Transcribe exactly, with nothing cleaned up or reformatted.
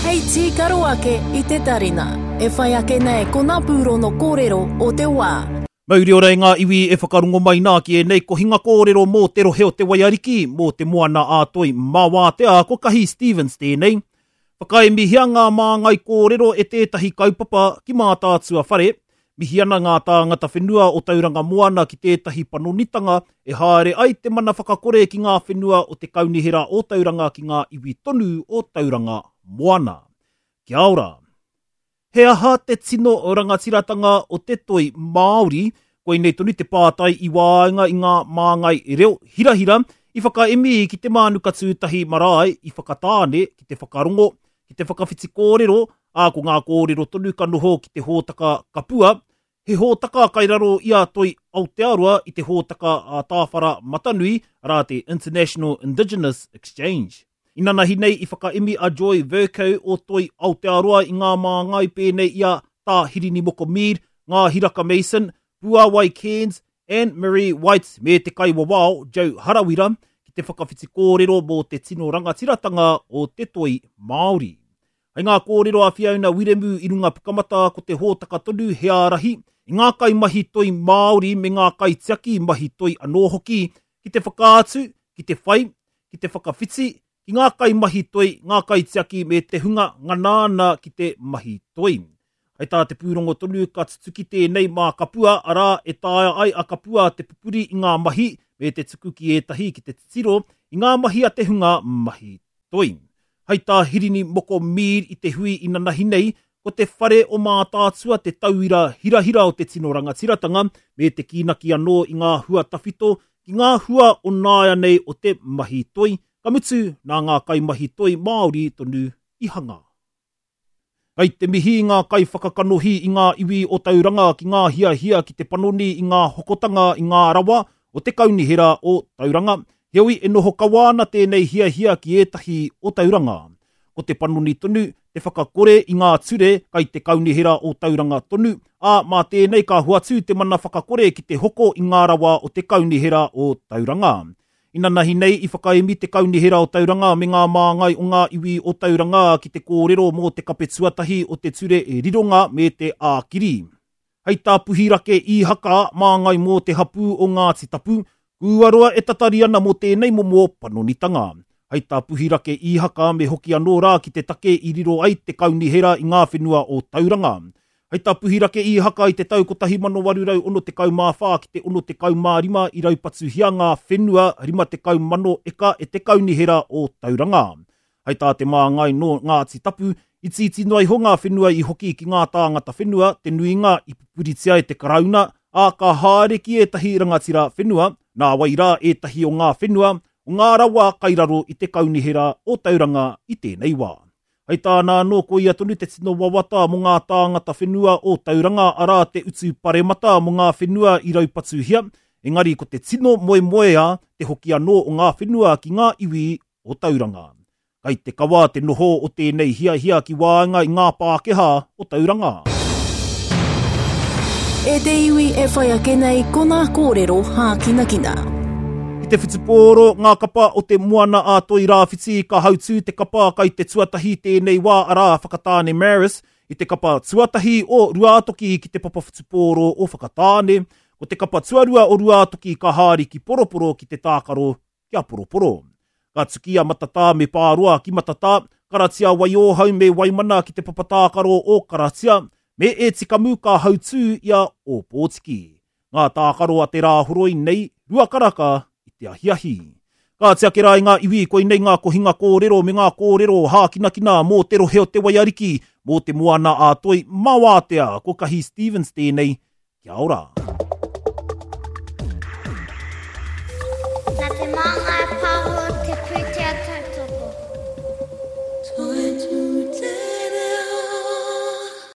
Hei tīkaro ake i te tarina. E whai ake nei ko ngā pūrono kōrero o te wā. Mauri ora e ngā iwi e whakarongo mai nā ki ēnei kohinga kōrero mō te rohe o te Waiariki, mō te moana ā toi Mawātea, ko Kahi Stevens tēnei. Whakaemihia ngā māngai kōrero e tētahi kaupapa ki Mātaatua whare, mihi ana ngā tāngata whenua o Tauranga Moana ki tētahi panonitanga e haere ai te mana whakakore ki ngā whenua o te Kaunihera o Tauranga ki ngā iwi tonu o Tauranga Moana. Kia ora! He aha te tino rangatiratanga o te toi Māori? Koinei tonu te pātai i waenga i ngā māngai reo hirahira i whakaemi ki te Mānuka Tūtahi marae i Whakatāne ki te whakarongo, ki te whakawhiti kōrero, ā ko ngā kōrero tonu ka noho ki te hōtaka kapua, he hōtaka kai raro i a Toi Aotearoa i te hōtaka a Tāwhara Matanui, arā te International Indigenous Exchange. Inanahi nei i whakaemi a Joy Vercoe o Toi Aotearoa i ngā māngai pēnei i a Tā Hirini Moko Mead, Ngā Hiraka Mason, Puawai Cairns, Anne Marie White me te kaiwawao Joe Harawira ki te whakawhiti kōrero mō te tino rangatiratanga o te toi Māori. Hei ngā kōrero a Fiona Wiremu i runga pukamata ko te hōtaka tonu he ārahi i ngā kaimahi toi Māori me ngā kaitiaki mahi toi anō hoki ki te whakaatu, ki te whai, ki te whakawhiti, ki ngā kaimahi toi, ngā kaitiaki me te hunga ngana ana ki te mahi toi. Hei tā te pūrongo tonu ka tutuki tēnei mā kapua, arā e taea ai a kapua te pupuri i ngā mahi me te tuku ki ētahi ki te titiro i ngā mahi a te hunga mahi toi. Hei tā Hirini Moko Mead i te hui inanahi nei, ko te whare o Mātaatua te tauira hirahira o te tino rangatiratanga me te kīnaki anō i ngā hua tawhito ki ngā hua o nāianei o te mahi toi, ka mutu nā ngā kaimahi toi Māori tonu i hanga. Kai te mihi ngā kaiwhakakanohi i ngā iwi o Tauranga ki ngā hiahia ki te panoni i ngā hokotanga i ngā rawa o te Kaunihera o Tauranga, heoi e noho kawa ana tēnei hiahia ki ētahi o Tauranga. Ko te panoni tonu, te whakakore i ngā ture kai te Kaunihera o Tauranga tonu, ā mā tēnei ka hoatu te mana whakakore ki te hoko i ngā rawa o te Kaunihera o Tauranga. Inanahi nei i whakaemi te Kaunihera o Tauranga me ngā māngai o ngā iwi o Tauranga ki te kōrero mō te kape tuatahi o te ture e rironga me te ākiri. Hei tā Puhirake Īhaka māngai mō te hapū o Ngāti Tapu, kua roa e tatari ana mō tēnei momo panonitanga. Hei tā Puhirake Īhaka me hoki anō rā ki te take i riro ai te Kaunihera i ngā whenua o Tauranga. Hei tā Puhirake Īhaka i te tau kotahi mano waru rau ono tekau mā whā ki te ono tekau mā rima i raupatuhia ngā whenua rima tekau mano eka e te Kaunihera o Tauranga. Hei tā te māngai nō Ngāti Tapu, itiiti noa iho ngā whenua i hoki ki ngā tāngata whenua, te nuinga i pupuritia e te Karauna, ā ka haere ki ētahi rangatira whenua, nā wai rā ētahi o ngā whenua, o ngā rawa kai raro i te Kaunihera o Tauranga i tēnei wā. Hei tāna anō ko ia tonu te tino wawata mō ngā tāngata whenua o Tauranga, arā te utu paremata mō ngā whenua i raupatuhia, engari ko te tino moemoeā te hoki anō o ngā whenua ki ngā iwi o Tauranga. Kai te kawa te noho o tēnei hiahia ki waenga i ngā Pākehā o Tauranga. E te iwi e whai ake nei ko ngā kōrero hākinakina. Ki te whutupōro, ngā kapa o te moana a Toi Rāwhiti ka hautū te kapa kai te tuatahi tēnei wā arā Whakatāne Maris i te kapa tuatahi o Ruātoki ki te papa whutupōro o Whakatāne. Ko te kapa tuarua o Ruātoki ka haere ki Poroporo ki te tākaro kia Poroporo. Ka tuki a Matatā me Pāroa ki Matatā, Karatia Waiōhau me Waimana ki te papa tākaro o Karatia, me e tikamu ka hautū i a Ōpōtiki. Ngā tākaro a te Rāhoroi nei, rua karaka i te ahiahi. Ka tiake rā i ngā iwi, koinei ngā kohinga kōrero me ngā kōrero hākinakina mō te rohe o te Waiariki, mō te moana a Toi Mawātea, ko Kahi Stevens tēnei. Kia ora.